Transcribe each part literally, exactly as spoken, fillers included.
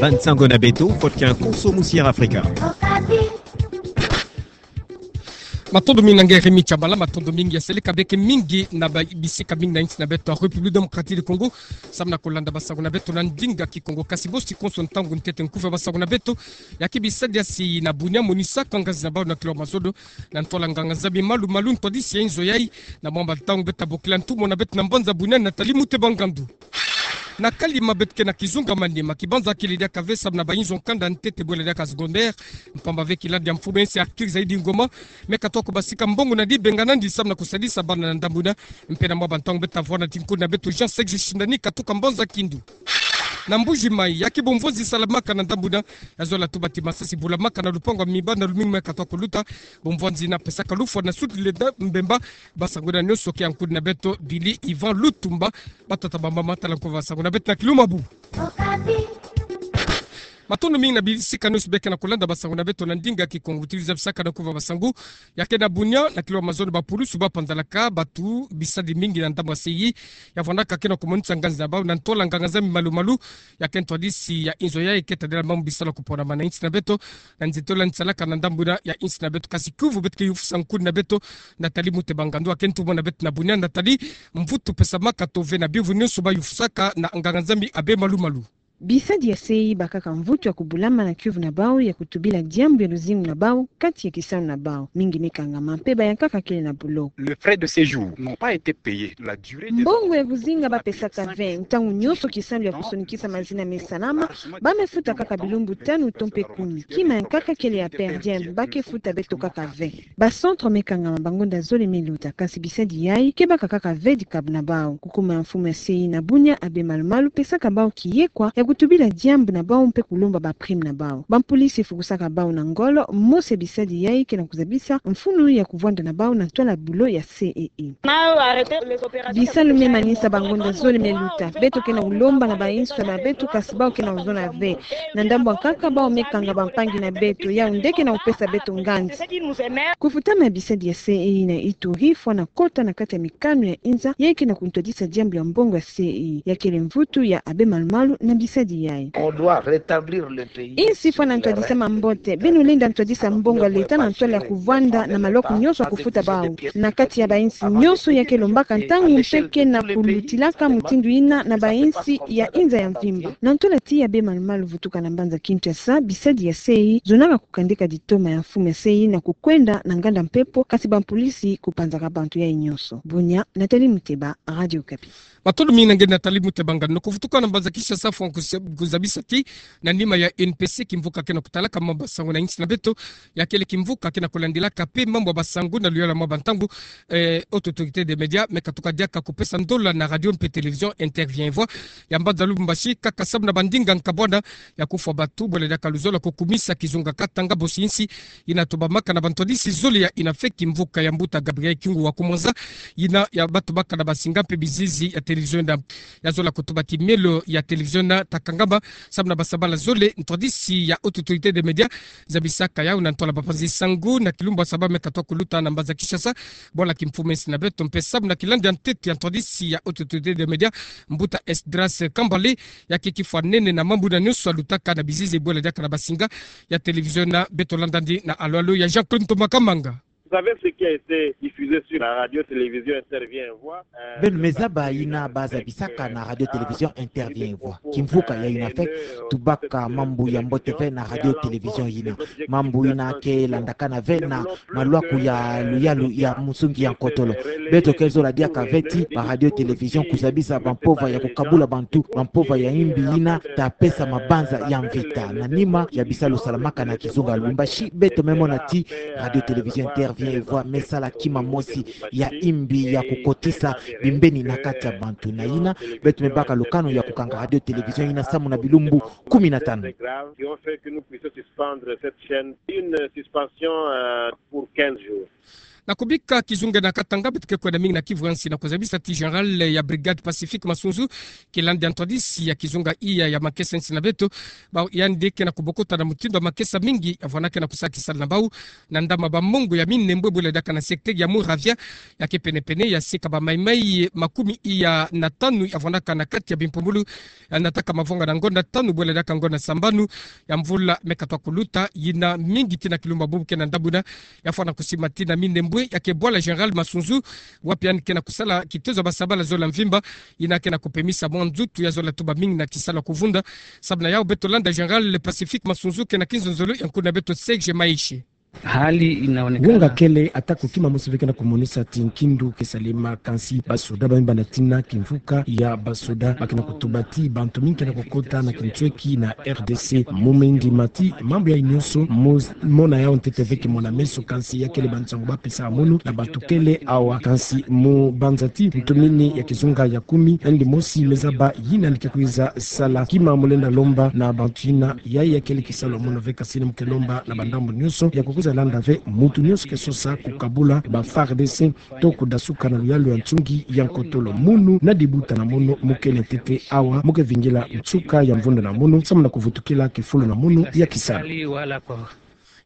Bansango na beto, kot ki nkoso musi'e Afrika. Matondo mingi na nge Remi Tshabala, matondo mingi ya seleka beke mingi na babisika mingi na insi na beto ya République Démocratique du Congo. Samu na kolanda basango na beto na ndinga Kikongo, kasi bosi konso ntangu ntete nkufi ya basango na beto. Ya ke bisadi ya sei na bunia, monisaka ngazi na bau na kilo mazodo na ntwala nganga-Nzambi malu-malu, ntwadisi ya inzo yai. Na mwamba ntangu beto tabokila ntumwa na beto na mbanza bunia, Nathalie Muteba Ngandu. Na kalima beto ke na kizunga manima, kibanza kele diaka ve samu na bainzo ya kanda ntete bwela diaka secondaire. Mpamba ve kiladi ya mfumu'e nsi Arthur Zaidi Ngoma me katoka basika mbongo na dibenga nandi samu na kusadisa bana na ndambu na. Mpe na mwamba ntangu beto tavwanda ti nkudi na beto Jean Serge Shindani katoka mbanza Kindu. Na Mbuji-Mayi, ya ke bomvonzi salamaka na ndambu na, ya zola tuba ti masasi bulamaka na lupangu ya miba na lumingu me katoka kuluta. Bomvonzi yina pesaka lufwa na Sud Lenda Mbemba. Basango yina nyonso ke ya nkudi na beto Billy Ivan Lutumba. Batata, bamama, tala nkufi ya basango na beto na kilumbu. Matondo mingi na bisika nyonso beke na kolanda basango na beto na ndinga Kikongo. Tuzabisaka na nkufi ya basango ya ke na bunia na kilo mazono, bapulusu bapanzalaka bato bisadi mingi na ndambu ya sei. Ya vwandaka ke na kumonisa ngazi na bau na ntwala nganga-Nzambi malu-malu. Ya ke ntwadisi ya inzo yai ke tadila mambu bisalu ya kuponama na insi na beto. Na nzitolo ya nsalaka na ndambu na ya insi na beto, kasi kiuvu beto ke yufusa nkudi na beto Nathalie Muteba Ngandu, ya ke ntumwa na beto na bunia. Nathalie, mvutu pesamaka tove na bimvu nyonso bayufusaka na nganga-Nzambi Abbé Malu-Malu. Bisadi ya sei bakaka mvutu ya kubulama na kiuvu na bau ya kutubila diambu ya luzingu na bau kati ya kisalu na bau. Mingi mikangama mpe bayankaka kele na buloko. Le frais de séjour n'ont pas été payés. La durée des... Mbongo ya kuzinga bapesaka ve. Ntangu nyonso kisalu ya kusonikisa mazina mesalama, bamefuta kaka bilumbu tanu to mpe kumi. Kima yankaka kele ya per diem, bake futa beto kaka ve. Ba centre mekangama bangonda zole meluta, kasi bisadi yai ke baka kaka ve dikabu na bau. Kukuma ya mfumu ya sei na bunia Abbé Malu-Malu pesaka bau kiyekwa ya kutubila diambu na bau mpe kulomba ba prime na bau. Bampolisi fukusaka bau na ngolo, mosi ya bisadi yai ke na kuzabisa mfunu ya kuvwanda na bau na ntwala bulo ya C E E. Bisalu memanisa bangonda zole meluta. Beto ke na kulomba na bainzo na beto, kasi bau ke na kuzona ve. Na ndambu yankaka bau mekanga bampangi na beto, yau nde ke na kupesa beto nganzi. Kufutama ya bisadi ya C E E na Ituri fwana kota na kati ya mikanu ya inza yai ke na kuntwadisa diambu ya mbongo ya C E E. Ya kele mvutu ya Abbé Malu-Malu na bisadi yai. On doit rétablir le pays. Insi fwana ntwadisama mbote, beno lenda ntwadisa mbongo ya leta na ntwala ya kuvwanda na maloko nyonso ya kufuta bau. Na kati ya bainsi nyonso ya ke lombaka ntangu mpe ke na kulutilaka mutindu yina na bainsi ya inza ya mvimba. Na ntwala ti Abbé Malu-Malu vutuka na mbanza Kinshasa, bisadi ya C E E zonaka kukandika ditoma ya mfumu ya C E E na kukwenda na nganda mpepo, kasi bampolisi kupanzaka bantu yai nyonso. Bunia, Nathalie Muteba, Radio Okapi. Matondo mingi na nge Nathalie Muteba Ngandu. Na kuvutuka na mbanza Kinshasa, fwana kuze-, kuzabisa ti na nima ya O N P C, kimvuka ke na kutalaka mambu ya basango na insi na beto, ya kele kimvuka ke na kulandilaka mpe mambu ya basango na luyalu ya mwamba ntangu, eh, Haute Autorité des Médias me katuka diaka kupesa ndola na Radio mpe Télévision Interview et Voix ya mbanza Lubumbashi, kaka samu na bandinga nkabwana ya kufwa bato, bwela diaka luzolo ya kukumisa kizunga katanga bosi insi yina tobamaka na bantwadisi zole ya yina fwe kimvuka ya mbuta Gabriel Kyungu wa Kumwanza, yina ya bato baka na basinga mpe bizizi ya télévision yina. Ya zola kutuba ti mielo ya télévision yina ta kangama samu na basabala zole. Ntwadisi ya Haute Autorité des Médias zabisaka yau na ntwala bapanzi sango na kilumbu ya saba me katoka kuluta na mbanza Kinshasa, bwala kimfumu ya insi na beto, mpe samu na kilandi ya ntete ya ntwadisi ya Haute Autorité des Médias, mbuta Esdras Kambale, ya ke kifwa nene na mambu yina nyonso yalutaka na bizizi bwela diaka na basinga ya télévision yina. Beto landa yandi na alo-alo ya Jean-Claude Ntoma Kamanga. Vous savez ce qui a été diffusé sur la radio télévision Interview et Voix, euh... Beno me zaba yina bazabisaka na radio télévision Interview et Voix. Kimvuka ya yina fwe tubaka mambu ya mbote ve na radio télévision yina. Mambu yina ke landakana ve na malwaku ya luyalu ya musungi ya nkotolo. Beto ke zola diaka ve ti ba radio télévision kuzabisa bampova ya kukabula bantu, bampova ya imbi yina ta pesa mabanza ya mvita. Na nima ya bisalu salamaka na kizunga ya Lubumbashi, beto me mona ti radio télévision Interview et Voix me sala kima mosi ya imbi ya kukotisa bimbeni na kati ya bantu. Na yina, beto me baka lukanu ya kukanga radio télévision yina samu na bilumbu kumi na tanu. Qui ont fait que nous puissions suspendre cette chaîne. Une suspension, euh, pour quinze jours. Na kubika kizunga na katanga, beto ke kwenda mingi na kivwansi na kuzabisa ti général ya brigade Pacifique Masunzu, kilandi ya ntwadisi ya kizunga iya ya makesa nsi na beto, bau yandi ke na kubokota na mutindu wa makesa mingi, yavwanda ke na kusa kisalu na bau, na ndama ba mongo ya minembwe bwela diaka na secteur ya Muravya, ya ke penepene ya sika ba maimai makumi iya na tanu, yavwandaka na kati ya bimpumbulu, ya nataka mavwanga na ngonda tanu bwela diaka ngonda sambanu ya mvula me katwa kuluta, yina mingi tina kilumbu bubu ke na ndambu ina, yafwana kusima tina minembwe ya ke bwala général Masunzu, wapi yandi ke na kusala kitezo ya basabala zola mvimba, yina ke na kupemisa mwa nzutu ya zola tuba mingi na kisalu ya kuvunda. Sababu na yau beto landa général Pacifique Masunzu ke na kinzonzolo ya nkuna beto Serge Maishe. Hali inaonekana. Wonga kele ata ko kima mosi ve ke na kumonisa ti nkindu ke salema, kansi basoda ba mibanda tina kimvuka ya basoda ba ke na kutuba ti bantu mingi ke na kukota na kintweki na R D C. Mu mindima ti mambu yayi nyonso, mo-, mona yau ntete ve, kimona meso, kansi ya kele bansangu ba pesa mono na bantu kele awa, kansi mu banza ti ntumini ya kizunga ya kumi, yandi mosi me zaba yina yandi ke kwiza sala. Kima mu lenda lomba na bantu yina, yayi ya kele kisalu ya mono ve, kansi ni mu ke lomba na bandambu nyonso ya kukwiza landa ve muntu nyonso ke sosa kukabula ba FARDC to kudasuka na luyalu ya nsungi ya nkotolo. Munu na dibuta na mono mu kele ntete awa, mu ke vingila nsuka ya mvunda na mono, samu na kuvutukila kifulu na mono ya kisalu.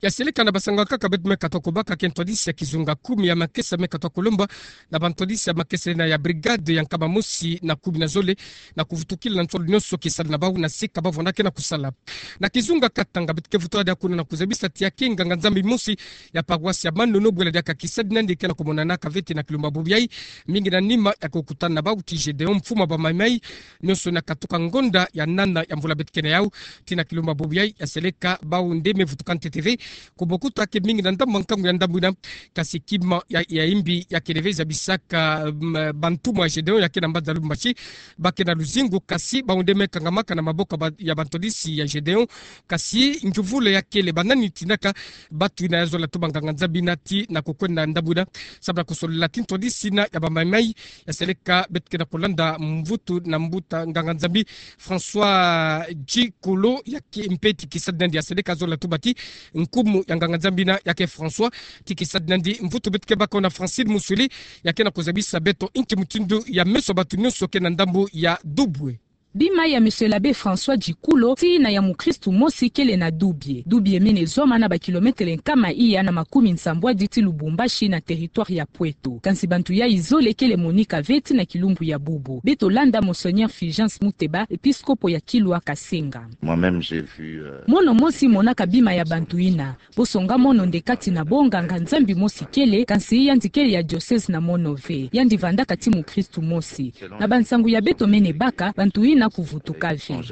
Ya seleka na basangu ya nkaka beto me katwa kubaka ke ntwadisi ya kizunga kumi ya makesa me katwa kulomba na bantwadisi ya makesa yina ya brigade ya nkama mosi na kumi na zole, na kuvutukila na nsolo nyonso kisalu na bau na sika bavwanda ke na kusala. Na kizunga katanga, beto ke vutuka diaka kuna na kuzabisa ti ya ke nganga-Nzambi mosi ya paroisse ya Manono bwela diaka kisadinandi ke na kumonanaka ve tina kilumbu bubu yayi, mingi na nima ya kukutana na bau ti Gédéon, mfumu ya ba maimai nyonso, na katuka ngonda ya nana ya mvula beto ke na yau, tina kilumbu bubu yayi, ya seleka bau nde me vutuka ntete ve, kubokota ke mingi na ndambu nkangu ya ndambu ina, kansi kima ya, ya imbi ya kele ve zabisaka, mm, bantumwa ya Gédéon ya ke na mbanza Lubumbashi, ba ke na luzingu, kansi bau nde me kangamaka na maboko ba, ya bantwadisi ya Gédéon, kansi nguvula ya kele ba nani tinaka batu yina ya zola tuba nganga-Nzambi ina tina kukwenda ndambu ina, samu na kusolola ti ntwadisi yina ya ba maimai, ya seleka beto ke na kulanda mvutu na mbuta nganga-Nzambi François Djikolo, ya ke mpe ti kisadinandi, ya seleka zola tuba ti nkumu ya nganga-Nzambi ina ya ke François, ti kisadinandi mvutu beto ke baka yo na Francine Muswele, ya ke na kuzabisa beto inki mutindu ya meso ya bantu nyonso ke na ndambu ya Dubwe. Bima ya Monsieur l'abbé François Djikolo, tina ya mukristu mosi kele na Dubye. Dubye mene zwama na ba kilomètre nkama iya na makumi nsambwadi ti Lubumbashi na territoire ya Pweto. Kansi bantu yayi zole kele monika ve tina kilumbu ya bubu. Beto landa Monseigneur Fulgence Muteba, episkopo ya Kilwa Kasenga. Moi-même, j'ai vu, euh, Mono mosi monaka bima ya bantu ina. Bonso nga mono nde kati na bo nganga-Nzambi mosi kele, kansi yandi kele ya diocèse na mono ve. Yandi vandaka ti mukristu mosi. Na bansangu ya beto mene baka, bantu ina kuvutuka ve.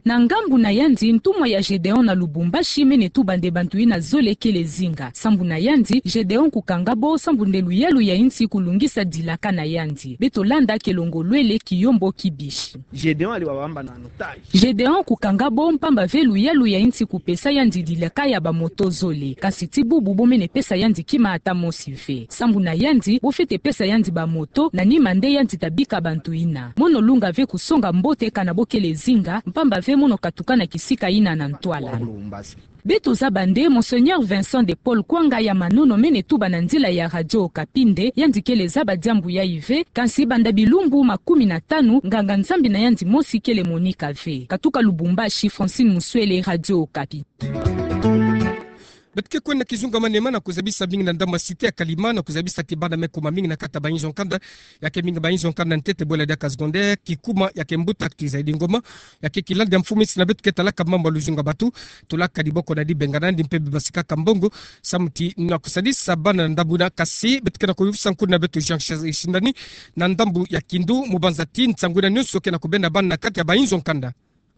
Na ngambu na yandi, ntumwa ya Gédéon na Lubumbashi mene tuba nde bantu ina zole kele zinga. Sambu na yandi, Gédéon kukanga bo sambu nde luyalu ya insi kulungisa dilaka na yandi. Beto landa kelongolwele Kiyombo Kibishi. Gédéon ali wabamba na Gédéon kukanga bo mpamba ve luyalu ya insi kupesa yandi dilaka ya ba moto zole. Kansi ti bubu bo mene pesa yandi kima ata mosi ve. Sambu na yandi, bo fwete pesa yandi ba moto, na nima nde yandi ta bika bantu ina. Mono lunga ve kusonga mbote kana bo kele zinga, mpamba ve mono katuka na kisika ina na ntwala. Beto zaba nde Monseigneur Vincent de Paul Kwanga ya Manono mene tuba na nzila ya Radio Okapi nde yandi kele zaba diambu yayi ve, kansi banda bilumbu makumi na tanu, nganga-Nzambi na yandi mosi kele monika ve. Katuka Lubumbashi, Francine Muswele, Radio Okapi. Beto ke kwenda kizunga Maniema na kuzabisa mingi na ndambu ya cité ya Kalima, na kuzabisa ti bana me kuma mingi na kati ya ba inzo nkanda, ya ke mingi ba inzo nkanda ntete bwela diaka secondaire, kikuma ya ke mbuta Arthur Zaidi Ngoma, ya ke kilandi ya mfumu insi na beto ke talaka mambu ya luzunga batu, tulaka diboko na dibenga nandi mpe bibasikaka mbongo, samu ti na kusadisa bana na ndambu ina. Kasi beto ke na kuyuvisa nkuna beto Jean Charles Shindani na ndambu ya Kindu, mu banza ti nsangu ina nyonso ke na kubenda bana na kati ya ba inzo nkanda.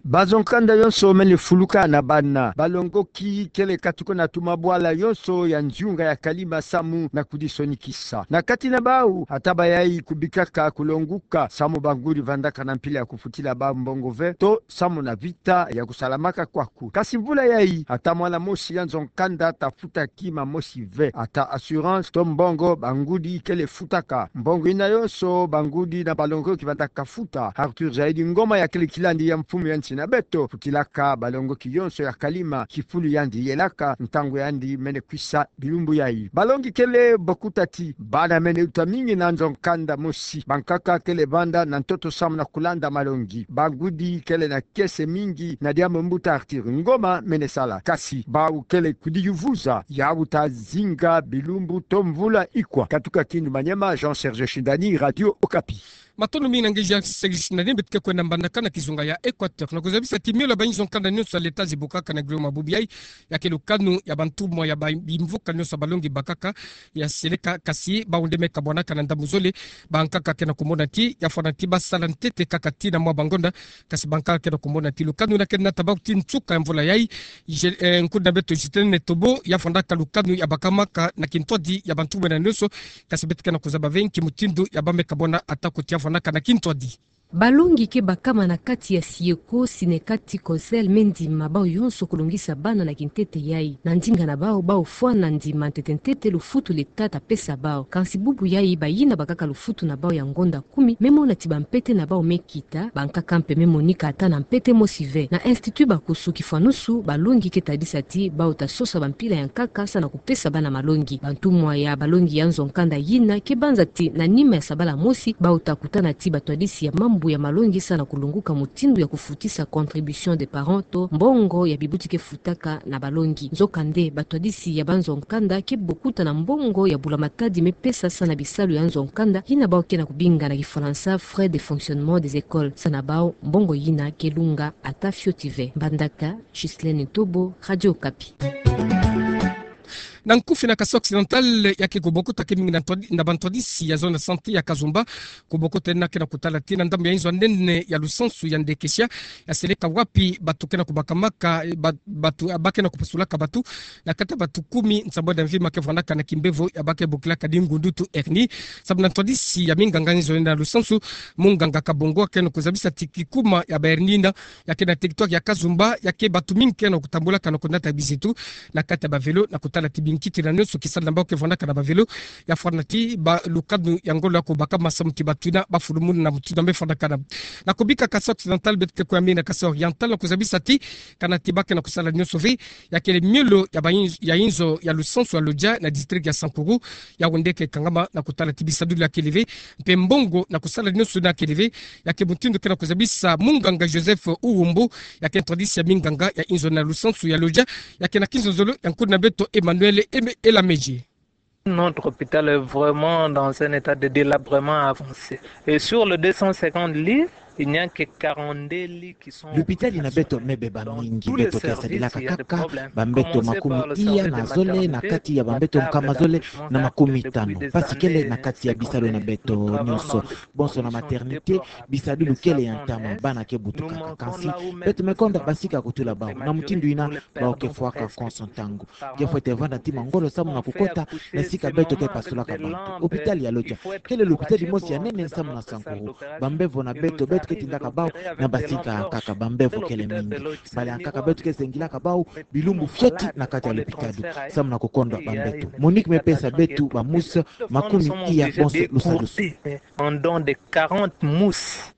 Ba nzo nkanda yonso mene fuluka na bana. Balongoki kele katuka na tuma bwala yonso ya nziunga ya Kalima samu na kudisonikisa. Na kati na bau, ata bayayi kubikaka kulonguka, samu ba ngudi vandaka na mpila ya kufutila bau mbongo ve, to samu na vita ya kusalamaka kwaku. Kasi mvula yayi, ata mwana mosi ya nzo nkanda ta futa kima mosi ve. Ata assurance to mbongo ba ngudi kele futaka. Mbongo ina yonso ba ngudi na balongoki vandaka futa. Arthur Zaidi Ngoma ya kele kilandi ya mfumu ya nsi na beto, kutilaka balongoki yonso ya kalima kifulu yandi yelaka, ntangu yandi mene kwisa bilumbu yayi. Balongi kele bokuta ti bana mene uta mingi na nzo nkanda mosi. Bankaka kele vanda na ntoto samu na kulanda malongi. Bangudi kele na kiese mingi na diambu mbuta Arthur Ngoma mene sala. Kasi bawu kele kudiyuvuza, yawu ta zinga bilumbu to mvula ikwa. Katuka Kindu Maniema, Jean Serge Shindani, Radio Okapi. Matondo mingi na nge Jean Serge Shindani. Beto ke kwenda mbandaka na kizunga ya Equateur. Na kuzabisa ti miolo ya bainzo nkanda nyonso ya leta zibukaka na Guillaume Abubiaï, ya ke lukanu ya bantumwa ya ba-, bimvuka nyonso ya balongi bakaka ya seleka, kasi bawu nde me kabwanaka na ndambu zole. Bankaka ke na kumona ti ya fwana ti basala ntete kaka tii na mwa bangonda, kasi bankaka ke na kumona ti lukanu na ke nata bawu tii nsuka ya mvula yayi. Je-, eh, nkudi na beto Justin Netobo ya fwanaka lukanu ya bakamaka na kintwadi ya bantumwa nyonso, kasi beto ke na kuzaba ve nki mutindu ya ba me kabwana atako ti ya fwanaka na kintwadi. Balongi ke bakama na kati ya SIECO, SYNECATI, COJEL, me ndima bawu yonso kulongisa bana na kintete yayi. Na ndinga na bawu, bawu fwana ndima ntete ntete lufutu leta ta pesa bawu. Kansi bubu yayi bayina bakaka lufutu na bawu ya ngonda kumi, me mona ti bampete na bawu me kita, bankaka mpe me monika ata na mpete mosi ve. Na Institut Bakusu kifwanusu, balongi ke tadisa ti bawu ta sosa bampila ya nkaka samu na kupesa bana malongi. Bantumwa ya balongi ya nzo nkanda yina ke banza ti na nima ya sabala mosi, bawu ta kutana ti batwadisi ya mambu ya malongi samu na kulonguka mutindu ya kufutisa contribution des parents to mbongo ya bibuti ke futaka na balongi. Nzokande, batwadisi ya banzo nkanda ke bokuta na mbongo ya bula-matadi me pesa samu na bisalu ya nzo nkanda, yina bawu ke na kubinga na kifalansa frais de fonctionnement des écoles. Samu na bawu, mbongo yina ke lunga ata fioti ve. Mbandaka, Ghislaine Ntobo, Radio Okapi. Na nkufi na Kasaï Occidental, ya ke kubokuta ke mingi na ntwadi-, na bantwadisi ya zone de santé ya Kazumba, kubokuta yina ke na kutala ti na ndambu ya inzo ya nene ya lusansu ya Ndekeshia, ya seleka wapi batu ke na kubakamaka, eh, ba-, batu, ah, ba ke na kupasulaka batu, na kati ya batu kumi, nsambwadi ya mvima ke vwandaka na kimbevo ya ba ke bokilaka ti ngundutu hernie. Samu na ntwadisi ya minganga inzo nene ya lusansu, munganga Kabongo ke na kuzabisa ti kikuma ya ba hernie yina, ya ke na territoire ya Kazumba, ya ke batu mingi ke na kutambulaka na kunata bizitu na kati ya ba vélo, na kutala ti binkiti na nyonso kisalama na bawu ke vwandaka na ba vélo, ya fwana ti ba lukanu ya ngolo ya kubakama samu ti batu yina ba fulu muna na mutindu me fwanaka na. Na kubika Kasaï Occidental, beto ke kwe mingi na Kasaï Oriental, na kuzabisa ti kana ti ba ke na kusala nyonso ve, ya kele miolo ya ba inz-, ya inzo ya lusansu ya Lodja na district ya Sankuru, yawu nde ke kangama na kutala ti bisadulu ya kele ve, mpe mbongo na kusala nyonso yina kele ve, ya ke mutindu ke na kuzabisa munganga Joseph Uwumbu, ya ke ntwadisi ya minganga ya inzo na lusansu ya Lodja, ya ke na kinzonzolo ya nkudi na beto Emmanuel Eme-, Elameji. Notre hôpital est vraiment dans un état de délabrement avancé. Et sur les deux cent cinquante lits, il n'y a que quarante-deux lits qui sont. Lupitali na beto me beba mingi, beto ke sadilaka kaka bambeto makumi iya na zole na kati ya bambeto nkama zole na makumi tanu. Mpasi kele na kati ya bisalu na beto nyonso. Bonso na maternité, bisadulu kele ya ntama, bana ke butukaka. Kansi beto me konda basika kutula bawu. Na mutindu yina, bawu ke fwaka konso ntangu. Ke fwete vanda ti mangolo samu na kukota na sika beto ke pasulaka bantu. Hôpital ya Lodja kele lupitali mosi ya nene samu na Sankuru. Bambevo na beto, beto ke tindaka bawu na basika kaka, bambevo kele mingi. Bala ya nkaka beto ke zengilaka bawu bilumbu fioti na kati ya lupitali samu na kukonda bambeto. Monique me pesa beto ba mousse makumi iya bonso lusalusu. En don de quarante mousses.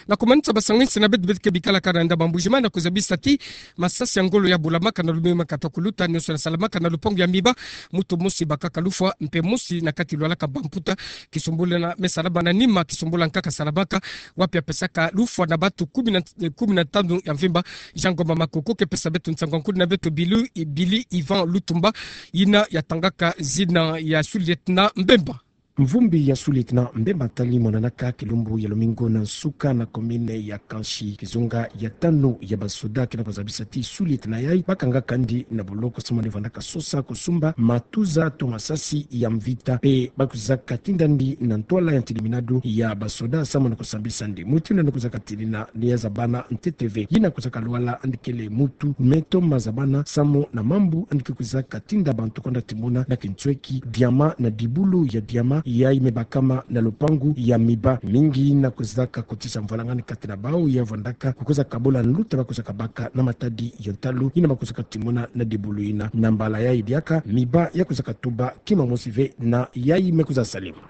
Na kumanisa basanginsi na beto, beto ke bikalaka na ndambu ya Mbuji-Mayi, na kuzabisa ti masasi ya ngolo ya bulamaka na lumingu ma kata kuluta, nyonso yina salamaka na lupangu ya Miba, mutu mosi bakaka lufwa, mpe mosi na kati lwalaka bamputa, kisumbulu yina me salama na nima, kisumbulu ya nkaka salamaka, wapi ya pesaka lufwa na batu kumi na, eh, kumi na tanu ya mvimba. Jean Ngoma Makoko ke pesa beto nsangu ya nkudi na beto Bilu, Billy Yvan Lutumba, yina ya tangaka zina ya sous-lieutenant Mbemba. Mvumbi ya sous-lieutenant Mbemba tali monanaka kilumbu ya lumingu na nsuka na commune ya Kansi, kizunga ya tanu ya basoda, kina kuzabisa ti sous-lieutenant yayi bakangaka ndi na boloko samu na vandaka sosa kusumba matuza to masasi ya mvita, mpe bakuzaka tinda ndi na ntwala ya ntiliminadu ya basoda samu na kusambisa ndi. Mutindu yina kuzaka tini na ni ya zabana ntete ve, yina kuzaka lwala ndi kele mutu me toma zabana samu na mambu ndi ke kuzaka tinda bantu konda timona na kintweki diamant na dibulu ya diamant yayi me bakama na lupangu ya Miba. Mingi yina kuzaka kotisa mvwalangani kati na bawu ya vandaka kukuza kabola nluta bakuzaka baka na matadi ya ntalu yina bakuzaka timona na dibulu yina. Na mbala yayi diaka Miba ya kuzaka tuba kima mosi ve na yayi me kuza salama.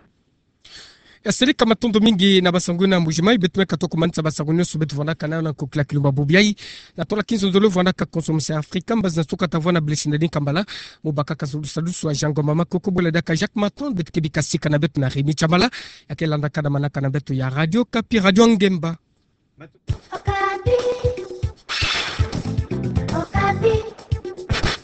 Asili ka matondo mingi na basango na Mbuji-Mayi, beto me katoko manisa basango nyonso beto vwandaka nako kilakilumba bobiayi. Na tola kinzonzolo vwandaka Konso Musi Afrika, mbazi na sukata vwa na blesi na dinka mbala. Mo baka ka zulu salusu a Jean Ngoma Makoko, bole daka Jacques Maton, beto ke bika sika na beto na Rémi Tshamala, ya ke landaka na manaka na beto ya Radio Okapi, Radio Ngemba.